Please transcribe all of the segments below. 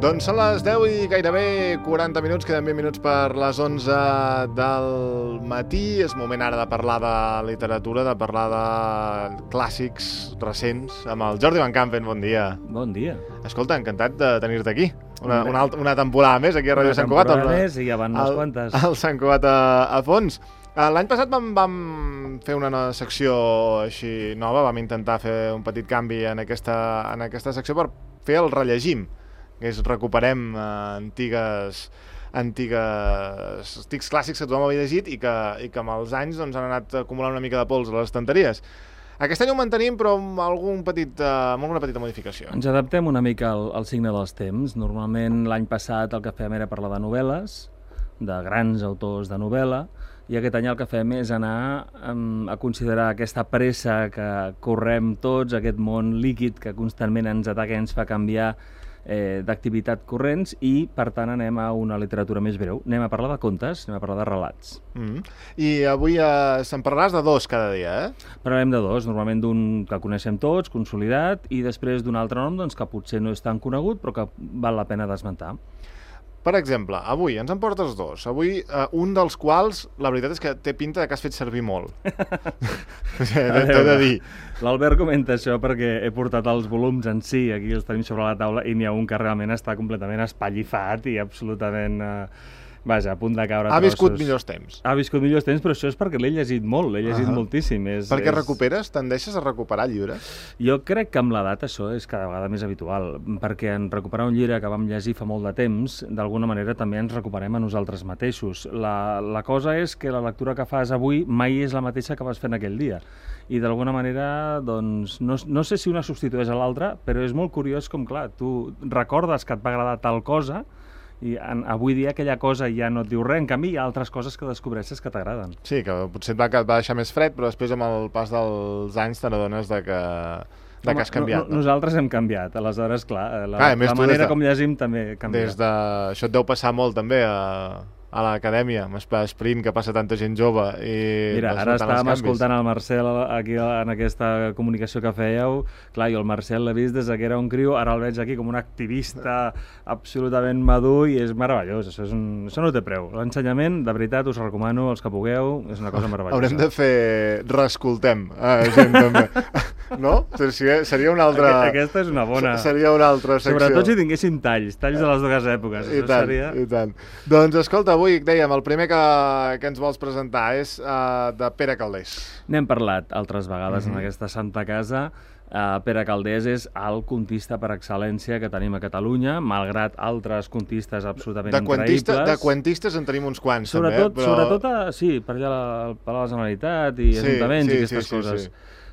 Doncs són les 10 i gairebé 40 minuts, queden 20 minuts per les 11 del matí. És moment ara de parlar de literatura, de parlar de clàssics recents amb el Jordi Van Campen. Bon dia. Bon dia. Escolta, encantat de tenir-te aquí. Una temporada més aquí a Ràdio Sant Cugat. Una temporada més i ja van unes quantes. El Sant Cugat a fons. L'any passat vam fer una secció així nova, vam intentar fer un petit canvi en aquesta secció per fer el rellegim, que és recuperem antics clàssics que tothom havia llegit i que amb els anys doncs, han anat acumulant una mica de pols a les estanteries. Aquest any ho mantenim, però amb alguna petita modificació. Ens adaptem una mica al signe dels temps. Normalment l'any passat el que fèiem era parlar de novel·les, de grans autors de novel·la, i aquest any el que fem és anar a considerar aquesta pressa que correm tots, aquest món líquid que constantment ens ataca i ens fa canviar d'activitat corrents, i per tant anem a una literatura més breu. Anem a parlar de contes, anem a parlar de relats. I avui se'n parlaràs de dos cada dia, eh? Parlarem de dos, normalment d'un que coneixem tots, consolidat, i després d'un altre nom doncs, que potser no és tan conegut però que val la pena d'esmentar. Per exemple, avui ens en portes dos. Avui un dels quals, la veritat és que té pinta de que has fet servir molt. T'he de dir. L'Albert comenta això perquè he portat els volums en si, aquí els tenim sobre la taula, i n'hi ha un que realment està completament espallifat i absolutament... Vaja, a punt de caure trossos. Ha viscut millors temps. Ha viscut millors temps, però això és perquè l'he llegit molt, l'he llegit moltíssim. Perquè recuperes? Tendeixes a recuperar llibres? Jo crec que amb l'edat això és cada vegada més habitual, perquè en recuperar un llibre que vam llegir fa molt de temps, d'alguna manera també ens recuperem a nosaltres mateixos. La cosa és que la lectura que fas avui mai és la mateixa que vas fer en aquell dia. I d'alguna manera, doncs, no sé si una substitueix a l'altra, però és molt curiós com, clar, tu recordes que et va agradar tal cosa, i avui dia aquella cosa ja no et diu res. En canvi, hi ha altres coses que descobreixes que t'agraden. Sí, que potser et va deixar més fred, però després amb el pas dels anys te n'adones que has canviat. Nosaltres hem canviat, aleshores, clar, la manera com llegim també canvia. Això et deu passar molt també a l'acadèmia, amb Sprint, que passa tanta gent jove. Mira, ara estàvem escoltant el Marcel aquí en aquesta comunicació que fèieu. Clar, jo el Marcel l'he vist des que era un criu, ara el veig aquí com un activista absolutament madur i és meravellós. Això no té preu. L'ensenyament, de veritat, us recomano, els que pugueu, és una cosa meravellosa. Haurem de fer reescoltem gent també. No? Seria una altra... Aquesta és una bona... Seria una altra secció. Sobretot si tinguéssim talls de les dues èpoques. I tant. Doncs escolta, avui, dèiem, el primer que ens vols presentar és de Pere Calders. N'hem parlat altres vegades en aquesta santa casa. Pere Calders és el contista per excel·lència que tenim a Catalunya, malgrat altres contistes absolutament increïbles. De cuentistes en tenim uns quants, sobretot, també. Sobretot, sí, per allà al Palau de la Generalitat i ajuntaments i aquestes coses.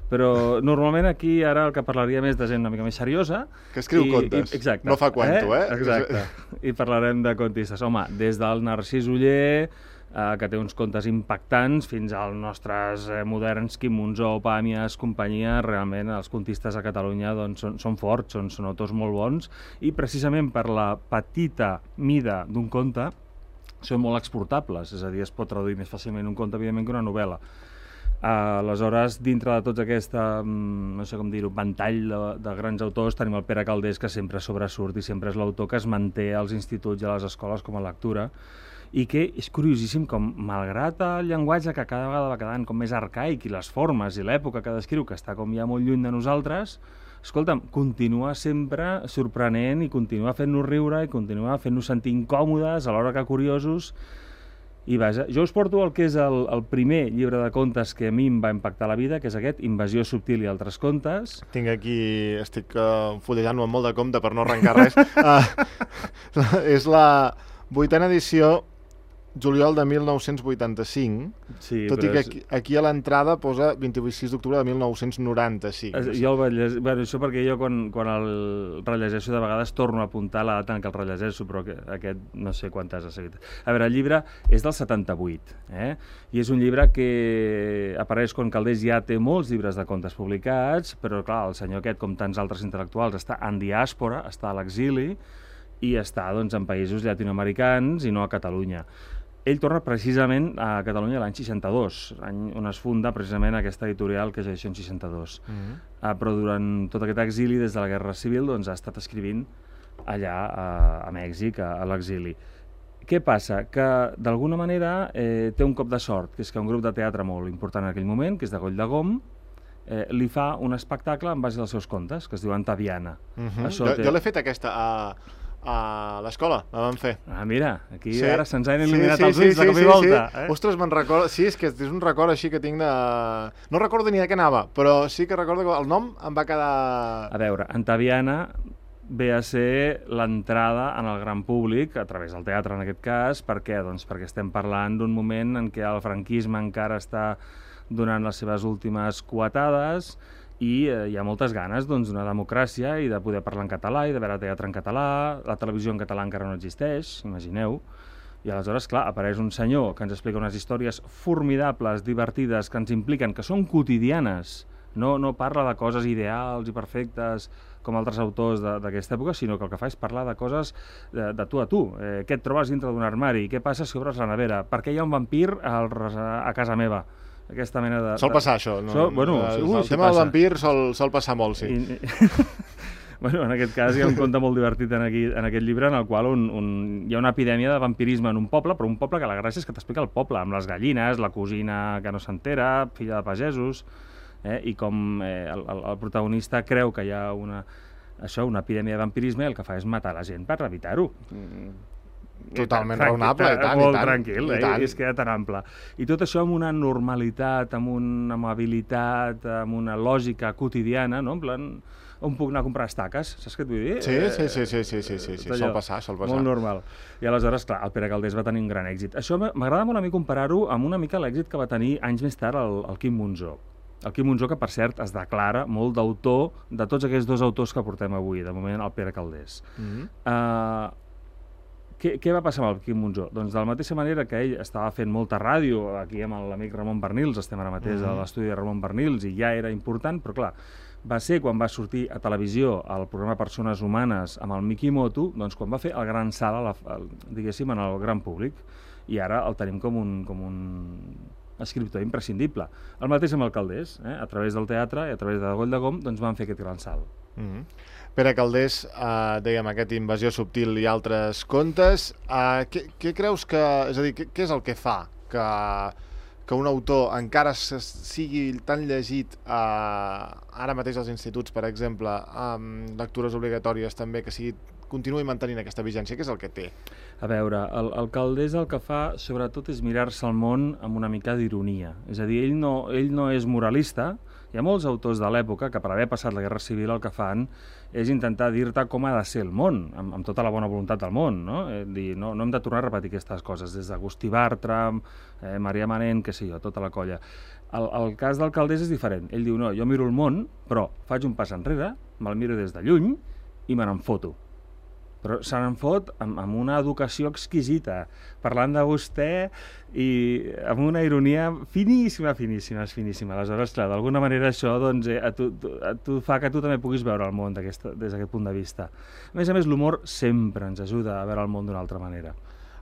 Però normalment aquí ara el que parlaria més de gent una mica més seriosa. Que escriu contes, no fa cuento, Exacte, i parlarem de contistes. Home, des del Narcís Oller, que té uns contes impactants, fins als nostres moderns Quim Monzó, Pàmies, companyia, realment els contistes a Catalunya doncs, són forts, són autors molt bons, i precisament per la petita mida d'un conte són molt exportables, és a dir, es pot traduir més fàcilment un conte, evidentment, que una novel·la. Aleshores, dintre de tots aquest, no sé com dir-ho, ventall de grans autors, tenim el Pere Calders, que sempre sobresurt i sempre és l'autor que es manté als instituts i a les escoles com a lectura, i que és curiosíssim com, malgrat el llenguatge que cada vegada va quedant com més arcaic i les formes i l'època que descriu, que està com ja molt lluny de nosaltres, escolta'm, continua sempre sorprenent i continua fent-nos riure i continua fent-nos sentir incòmodes, alhora que curiosos. I vaja, jo us porto el que és el primer llibre de contes que a mi em va impactar la vida, que és aquest, Invasió subtil i altres contes. Estic fulletant-ho amb molt de compte per no arrencar res. És la 8a edició, juliol de 1985, sí, tot i que aquí a l'entrada posa 26 d'octubre de 1995. Jo el vaig llegir, això perquè jo quan el rellegeixo de vegades torno a apuntar la data en què el rellegeixo, però aquest no sé quantes ha seguit. A veure, el llibre és del 78, i és un llibre que apareix quan Calders ja té molts llibres de contes publicats, però clar, el senyor aquest, com tants altres intel·lectuals, està en diàspora, està a l'exili, i està doncs, en països llatinoamericans i no a Catalunya. Ell torna precisament a Catalunya l'any 62, any on es funda precisament aquesta editorial que és Edicions 62. Però durant tot aquest exili, des de la Guerra Civil, doncs, ha estat escrivint allà a Mèxic, a l'exili. Què passa? Que d'alguna manera té un cop de sort, que és que un grup de teatre molt important en aquell moment, que és de Goll de Gom, li fa un espectacle en base als seus contes, que es diu Antaviana. Jo l'he fet aquesta a l'escola, la vam fer. Ah, mira, aquí ara se'ns han il·luminat els ulls de cop i volta. Ostres, me'n recordo... Sí, és que és un record així que tinc de... No recordo ni de què anava, però sí que recordo que el nom em va quedar... A veure, Antaviana ve a ser l'entrada en el gran públic, a través del teatre en aquest cas. Per què? Doncs perquè estem parlant d'un moment en què el franquisme encara està donant les seves últimes coetades i hi ha moltes ganes d'una democràcia i de poder parlar en català i de veure teatre en català. La televisió en català encara no existeix, imagineu. I aleshores, clar, apareix un senyor que ens explica unes històries formidables, divertides, que ens impliquen, que són quotidianes. No parla de coses ideals i perfectes com altres autors d'aquesta època, sinó que el que fa és parlar de coses de tu a tu. Què et trobes dintre d'un armari? Què passa si obres la nevera? Per què hi ha un vampir a casa meva? Aquesta mena de... Sol passar això, no? El tema del vampir sol passar molt, sí. Bueno, en aquest cas hi ha un conte molt divertit en aquest llibre en el qual hi ha una epidèmia de vampirisme en un poble, però un poble que la gràcia és que t'explica el poble, amb les gallines, la cosina que no s'entera, filla de pagesos, i com el protagonista creu que hi ha una epidèmia de vampirisme i el que fa és matar la gent per evitar-ho. Totalment raonable, i tant. Molt tranquil, és que era tan ample. I tot això amb una normalitat, amb una amabilitat, amb una lògica quotidiana, no? En plan, on puc anar a comprar estaques, saps què et vull dir? Sí, sol passar. Molt normal. I aleshores, clar, el Pere Calders va tenir un gran èxit. Això m'agrada molt a mi comparar-ho amb una mica l'èxit que va tenir anys més tard el Quim Monzó. El Quim Monzó, que per cert es declara molt d'autor de tots aquests dos autors que portem avui, de moment el Pere Calders. Què va passar amb el Quim Monzó? Doncs de la mateixa manera que ell estava fent molta ràdio, aquí amb l'amic Ramon Bernils, estem ara mateix a l'estudi de Ramon Bernils, i ja era important, però clar, va ser quan va sortir a televisió el programa Persones Humanes amb el Miki Moto, doncs quan va fer el gran salt, diguéssim, en el gran públic, i ara el tenim com un escriptor imprescindible. El mateix amb el Calders, a través del teatre i a través de Goll de Gom, doncs van fer aquest gran salt. Pere Calders, dèiem, aquest Invasió subtil i altres contes, què creus que... És a dir, què és el que fa que un autor encara sigui tan llegit ara mateix als instituts, per exemple, amb lectures obligatòries també, que continuï mantenint aquesta vigència? Què és el que té? A veure, el Calders el que fa sobretot és mirar-se el món amb una mica d'ironia. És a dir, ell no és moralista. Hi ha molts autors de l'època que per haver passat la Guerra Civil el que fan és intentar dir-te com ha de ser el món, amb tota la bona voluntat del món, no? Dir, no hem de tornar a repetir aquestes coses, des d'Agustí Bartram, Maria Manent, què sé jo, tota la colla. El cas del Calders és diferent. Ell diu, no, jo miro el món, però faig un pas enrere, me'l miro des de lluny i me n'en foto. Però se n'en fot amb una educació exquisita, parlant de vostè i amb una ironia finíssima. Aleshores, clar, d'alguna manera això doncs, tu fa que tu també puguis veure el món des d'aquest punt de vista. A més, l'humor sempre ens ajuda a veure el món d'una altra manera.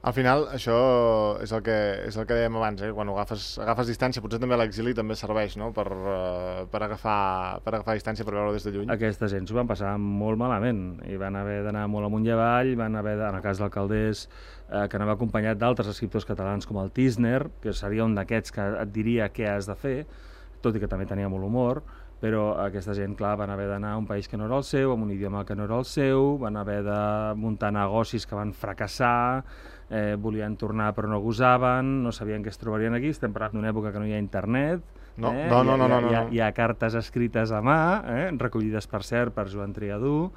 Al final, això és el que dèiem abans, quan agafes distància, potser també l'exili també serveix, no? per agafar distància, per veure des de lluny. Aquesta gent s'ho van passar molt malament i van haver d'anar molt amunt i avall, van haver, en el cas del Calders, que anava acompanyat d'altres escriptors catalans com el Tisner, que seria un d'aquests que et diria què has de fer, tot i que també tenia molt humor, però aquesta gent, clar, van haver d'anar a un país que no era el seu, amb un idioma que no era el seu, van haver de muntar negocis que van fracassar, volien tornar però no gosaven, no sabien què es trobarien aquí. Estem parlant d'una època que no hi ha internet, no. Hi ha cartes escrites a mà, recollides per cert per Joan Triadú,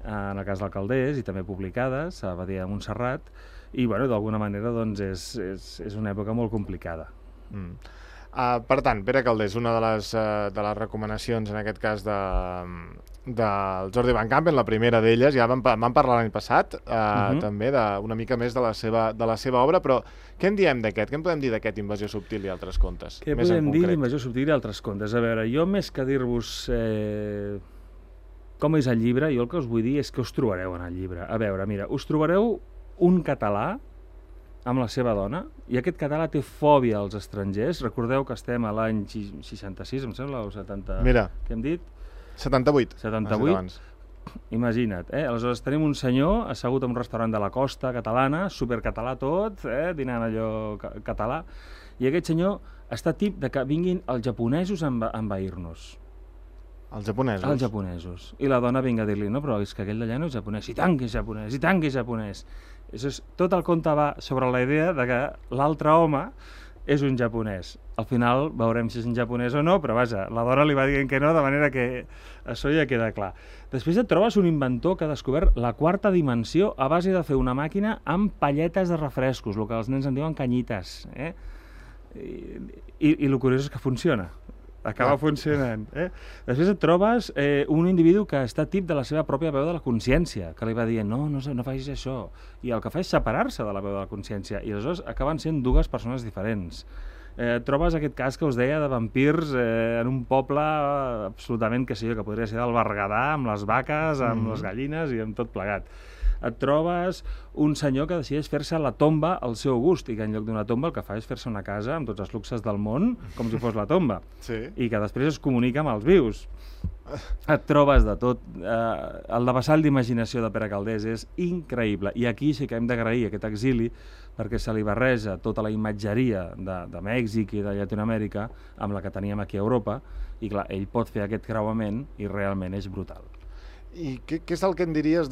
en el cas del Calders, i també publicades a Badia de Montserrat, i bueno, d'alguna manera doncs, és una època molt complicada. Per tant, Pere Calders, una de les recomanacions en aquest cas del Jordi Van Campen, la primera d'elles, ja vam parlar l'any passat, també una mica més de la seva obra, però què en diem d'aquest? Què en podem dir d'aquest Invasió subtil i altres contes? Què podem dir d'Invasió subtil i altres contes? A veure, jo més que dir-vos com és el llibre, jo el que us vull dir és que us trobareu en el llibre. A veure, mira, us trobareu un català amb la seva dona, i aquest català té fòbia als estrangers. Recordeu que estem a l'any 66, em sembla, o 70... Mira, què hem dit? 78. Imagina't, aleshores tenim un senyor assegut en un restaurant de la costa catalana, supercatalà tot, dinant allò català, i aquest senyor està tip de que vinguin els japonesos a envair-nos. Els japonesos? Els japonesos. I la dona vinga a dir-li, no, però és que aquell d'allà no és japonès, i tant que és japonès, i tant que és japonès. Tot el conte va sobre la idea de que l'altre home és un japonès. Al final veurem si és un japonès o no, però vaja, la dona li va dient que no, de manera que això ja queda clar. Després et trobes un inventor que ha descobert la quarta dimensió a base de fer una màquina amb palletes de refrescos, el que els nens en diuen canyites. I el curiós és que funciona. Acaba funcionant. Després et trobes un individu que està tip de la seva pròpia veu de la consciència, que li va dient, no facis això, i el que fa és separar-se de la veu de la consciència, i aleshores acaben sent dues persones diferents. Trobes aquest cas que us deia de vampirs en un poble absolutament, que podria ser del Berguedà, amb les vaques, amb les gallines i amb tot plegat. Et trobes un senyor que decideix fer-se la tomba al seu gust i que en lloc d'una tomba el que fa és fer-se una casa amb tots els luxes del món, com si fos la tomba, i que després es comunica amb els vius. Et trobes de tot. El devessall d'imaginació de Pere Calders és increïble, i aquí sí que hem d'agrair aquest exili perquè se li barreja tota la imatgeria de Mèxic i de Llatinoamèrica amb la que teníem aquí a Europa, i clar, ell pot fer aquest creuament i realment és brutal. I què és el que en diries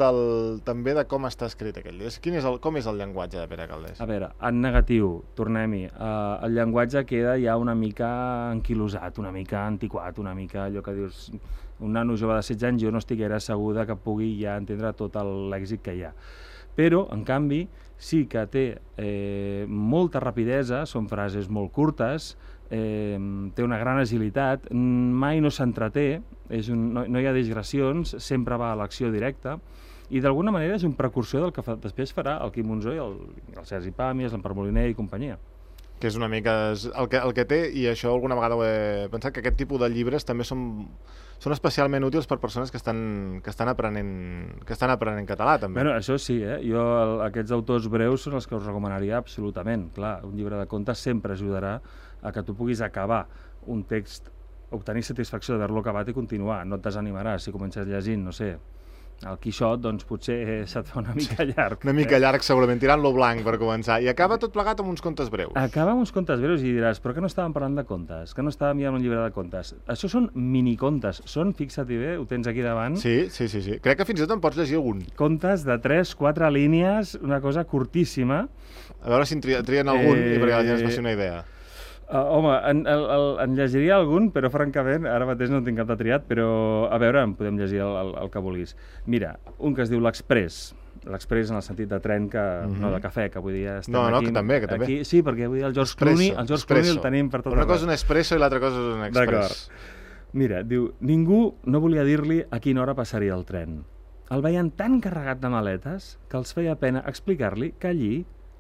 també de com està escrit aquell llibre? Com és el llenguatge de Pere Calders? A veure, en negatiu, tornem-hi, el llenguatge queda ja una mica anquilosat, una mica antiquat, una mica allò que dius, un nano jove de 16 anys jo no estiguera segur que pugui ja entendre tot l'èxit que hi ha. Però, en canvi, sí que té molta rapidesa, són frases molt curtes, té una gran agilitat, mai no s'entreté, no hi ha digressions, sempre va a l'acció directa, i d'alguna manera és un precursor del que després farà el Quim Monzó i el Sergi Pàmies, l'Empar Moliner i companyia. Que és una mica el que té, i això alguna vegada ho he pensat, que aquest tipus de llibres també són especialment útils per persones que estan aprenent català, també. Bueno, això sí, jo aquests autors breus són els que us recomanaria absolutament. Clar, un llibre de contes sempre ajudarà a que tu puguis acabar un text, obtenir satisfacció d'haver-lo acabat i continuar. No et desanimaràs si comences llegint, no sé, el Quixot, doncs potser se't fa una mica llarg. Una mica llarg, segurament, tirant-lo blanc per començar. I acaba tot plegat amb uns contes breus. Acaba amb uns contes breus i diràs, però que no estàvem parlant de contes? Que no estàvem mirant un llibre de contes? Això són minicontes. Fixa't-hi bé, ho tens aquí davant. Sí. Crec que fins i tot en pots llegir algun. Contes de 3-4 línies, una cosa curtíssima. A veure si en trien algun i perquè la gent es faci una idea. Home, en llegiria algun, però francament, ara mateix no en tinc cap de triat, però a veure, en podem llegir el que vulguis. Mira, un que es diu l'Express. L'Express en el sentit de tren, no de cafè, que avui dia estem aquí. No, que també. Aquí, sí, perquè avui dia el George Clooney el tenim per tot arreu. Una cosa és un espresso i l'altra cosa és un express. D'acord. Mira, diu, ningú no volia dir-li a quina hora passaria el tren. El veien tan carregat de maletes que els feia pena explicar-li que allí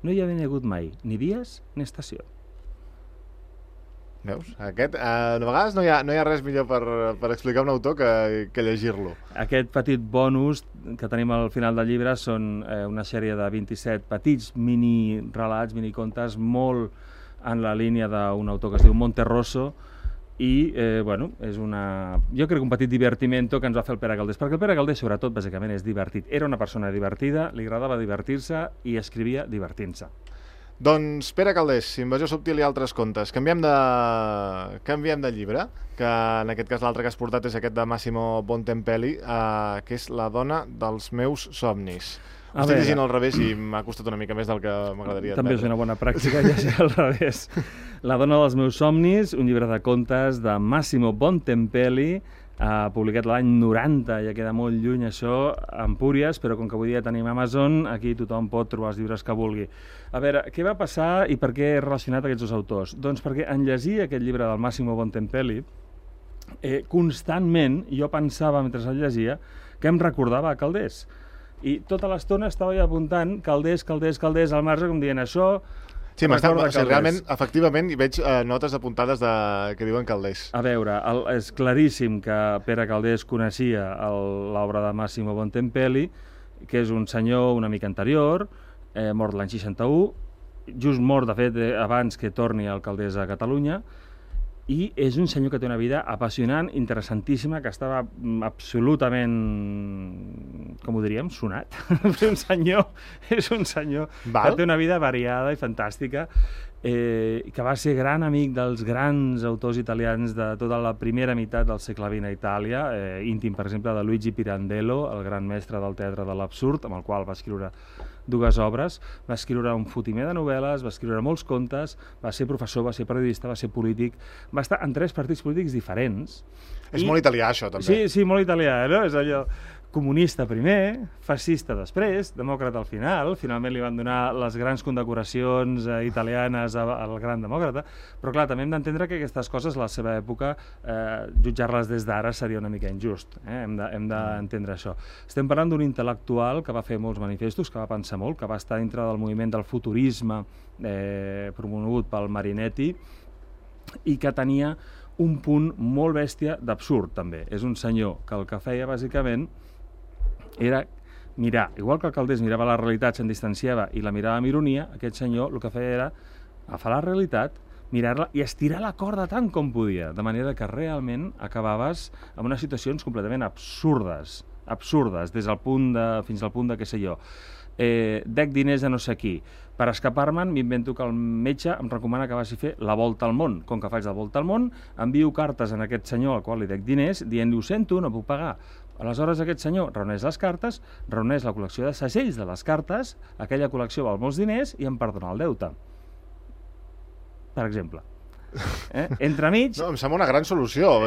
no hi havia hagut mai ni vies ni estació. Veus? A vegades no hi ha res millor per explicar un autor que llegir-lo. Aquest petit bonus que tenim al final del llibre són una sèrie de 27 petits mini-relats, mini-contes, molt en la línia d'un autor que es diu Monterroso, i, és jo crec un petit divertimento que ens va fer el Pere Calders, perquè el Pere Calders, sobretot, bàsicament és divertit. Era una persona divertida, li agradava divertir-se i escrivia divertint-se. Doncs Pere Calders, Invasió subtil i altres contes. Canviem de llibre, que en aquest cas l'altre que has portat és aquest de Massimo Bontempelli, que és La dona dels meus somnis. Estic llegint al revés i m'ha costat una mica més del que m'agradaria admetre. També és una bona pràctica llegir al revés. La dona dels meus somnis, un llibre de contes de Massimo Bontempelli, publicat l'any 90, ja queda molt lluny això, a Empúries, però com que avui dia tenim Amazon, aquí tothom pot trobar els llibres que vulgui. A veure, què va passar i per què he relacionat aquests dos autors? Doncs perquè en llegir aquest llibre del Massimo Bontempelli, constantment jo pensava, mentre el llegia, que em recordava a Calders. I tota l'estona estava jo apuntant Calders al marge, com dient això... Sí, realment, efectivament, hi veig notes apuntades que diuen Calders. A veure, és claríssim que Pere Calders coneixia l'obra de Massimo Bontempelli, que és un senyor una mica anterior, mort l'any 61, just mort, de fet, abans que torni el Calders a Catalunya, I és un senyor que té una vida apassionant, interessantíssima, que estava absolutament, com ho diríem, sonat. És un senyor que té una vida variada i fantàstica, que va ser gran amic dels grans autors italians de tota la primera meitat del segle XX a Itàlia, íntim, per exemple, de Luigi Pirandello, el gran mestre del teatre de l'absurd, amb el qual va escriure 2 obres, va escriure un fotimer de novel·les, va escriure molts contes, va ser professor, va ser periodista, va ser polític, va estar en 3 partits polítics diferents. És molt italià, això, també. Sí, molt italià, no? És allò comunista primer, fascista després, demòcrata al final, finalment li van donar les grans condecoracions italianes al gran demòcrata, però clar, també hem d'entendre que aquestes coses, a la seva època, jutjar-les des d'ara seria una mica injust, hem d'entendre això. Estem parlant d'un intel·lectual que va fer molts manifestos, que va pensar molt, que va estar dintre del moviment del futurisme promogut pel Marinetti i que tenia un punt molt bèstia d'absurd, també. És un senyor que el que feia, bàsicament, era mirar, igual que el Calders mirava la realitat, se'n distanciava i la mirava amb ironia, aquest senyor el que feia era agafar la realitat, mirar-la i estirar la corda tant com podia, de manera que realment acabaves amb unes situacions completament absurdes, des del punt fins al punt de, què sé jo, dec diners a no sé qui. Per escapar-me'n, m'invento que el metge em recomana que vagi a fer la volta al món. Com que faig la volta al món, envio cartes a aquest senyor al qual li dec diners, dient-li, ho sento, no puc pagar. Aleshores, aquest senyor reuneix les cartes, reuneix la col·lecció de segells de les cartes, aquella col·lecció val molts diners i em perdona el deute. Per exemple. Entremig... No, em sembla una gran solució.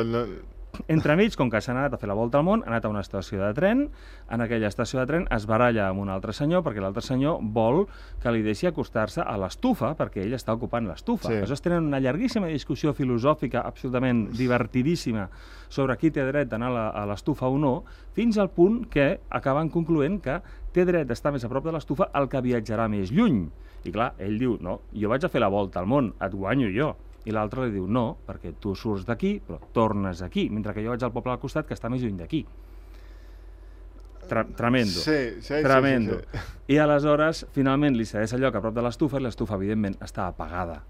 Entremig, com que s'ha anat a fer la volta al món, ha anat a una estació de tren, en aquella estació de tren es baralla amb un altre senyor, perquè l'altre senyor vol que li deixi acostar-se a l'estufa, perquè ell està ocupant l'estufa. Sí. Aleshores tenen una llarguíssima discussió filosòfica, absolutament divertidíssima, sobre qui té dret d'anar a l'estufa o no, fins al punt que acaben concloent que té dret d'estar més a prop de l'estufa el que viatjarà més lluny. I clar, ell diu, no, jo vaig a fer la volta al món, et guanyo jo. I l'altre li diu, no, perquè tu surts d'aquí, però tornes aquí, mentre que jo vaig al poble al costat que està més lluny d'aquí. Tremendo. Tremendo. Sí. I aleshores, finalment, li cedeix el lloc a prop de l'estufa i l'estufa, evidentment, està apagada.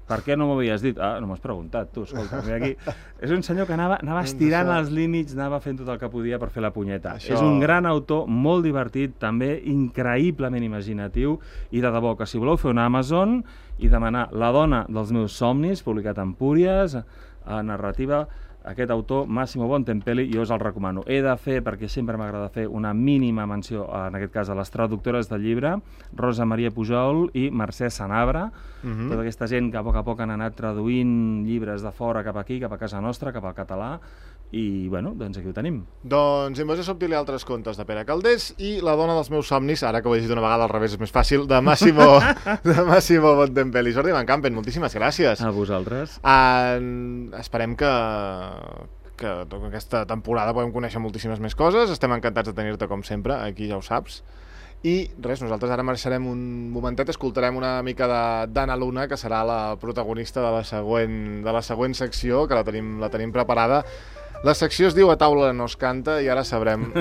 Per què no m'ho havies dit? Ah, no m'has preguntat, tu, escolta, mira aquí. És un senyor que anava estirant els límits, anava fent tot el que podia per fer la punyeta. És un gran autor, molt divertit, també increïblement imaginatiu, i de debò que si voleu fer una Amazon i demanar La dona dels meus somnis, publicat en Empúries, a narrativa, aquest autor, Massimo Bontempelli, jo us el recomano. He de fer, perquè sempre m'agrada fer, una mínima menció, en aquest cas, a les traductores del llibre, Rosa Maria Pujol i Mercè Sanabra, tota aquesta gent que a poc han anat traduint llibres de fora cap aquí, cap a casa nostra, cap al català, i, bueno, doncs aquí ho tenim. Doncs Invasió subtil i altres contes de Pere Calders i La dona dels meus somnis, ara que ho he dit una vegada al revés és més fàcil, de Massimo Bontempelli. Jordi Van Campen, moltíssimes gràcies. A vosaltres. Esperem que aquesta temporada podem conèixer moltíssimes més coses. Estem encantats de tenir-te com sempre, aquí ja ho saps. I res, nosaltres ara marxarem un momentet, escoltarem una mica d'Anna Luna, que serà la protagonista de la següent secció, que la tenim preparada. La secció es diu A taula no es canta i ara sabrem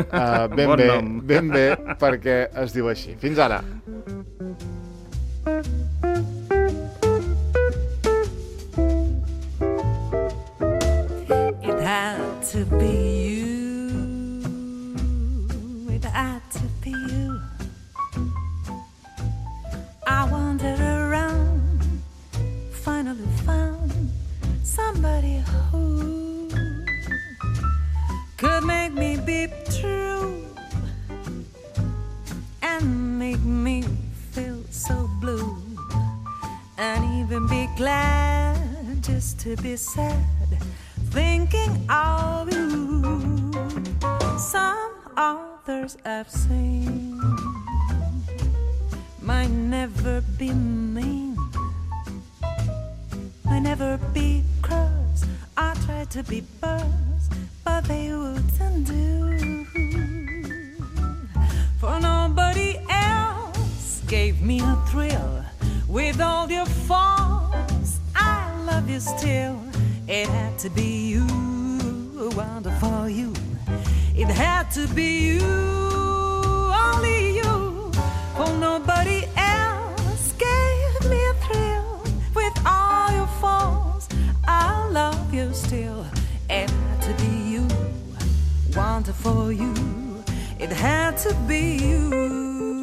ben bé per què es diu així. Fins ara! It had to be you. It had to be you. I wandered around, finally found somebody who could make me be true and make me feel so blue, and even be glad just to be sad, thinking of you. Some others I've seen might never be mean, might never be cross. I tried to be buzz, but they wouldn't do. For nobody else gave me a thrill. With all your faults, I love you still. It had to be you, wonderful you. It had to be you, only you. For nobody else gave me a thrill. With all your faults, I love for you. It had to be you.